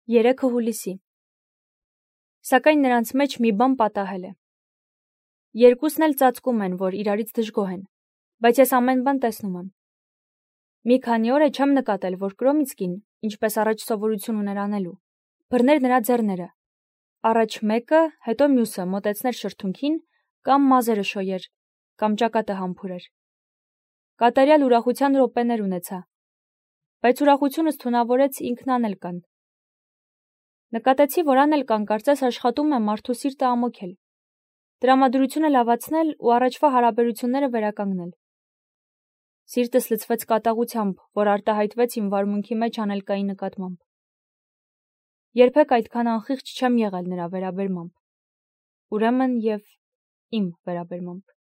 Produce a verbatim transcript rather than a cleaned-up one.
Երեքը հուլիսի։ Սակայն նրանց մեջ մի բան պատահել է։ Երկուսն էլ ծածկում են, որ իրարից դժգոհ են, բայց ես ամեն բան տեսնում եմ։ Մի քանի օր է չեմ նկատել, որ Կրոմիցկին, ինչպես առաջ սովորություն ուներ անելու, բռներ նրա ձեռները։ Առաջ մեկը, հետո մյուսը մոտեցներ շրթունքին, կամ մազերը շոյեր, կամ ճակատը համբուրեր։ Կատարյալ ուրախության րոպեներ ունեցա, բայց ուրախությունս թունավորեց ինքն անել կան։ Նկատեցի, որ անել կան կարծես աշխատում է մարդու սիրտը ամոքել, տրամադրությունը լավացնել ու առաջվա հարաբերությունները վերականգնել։ Սիրտս լցվեց կատաղությամբ, որ արտահայտվեց իմ վարմունքի մեջ անելկայի նկատմամբ։ Երբեք այդքան անխիղճ չեմ եղել նրա վերաբերմամբ, ուրեմն և իմ վերաբերմամբ։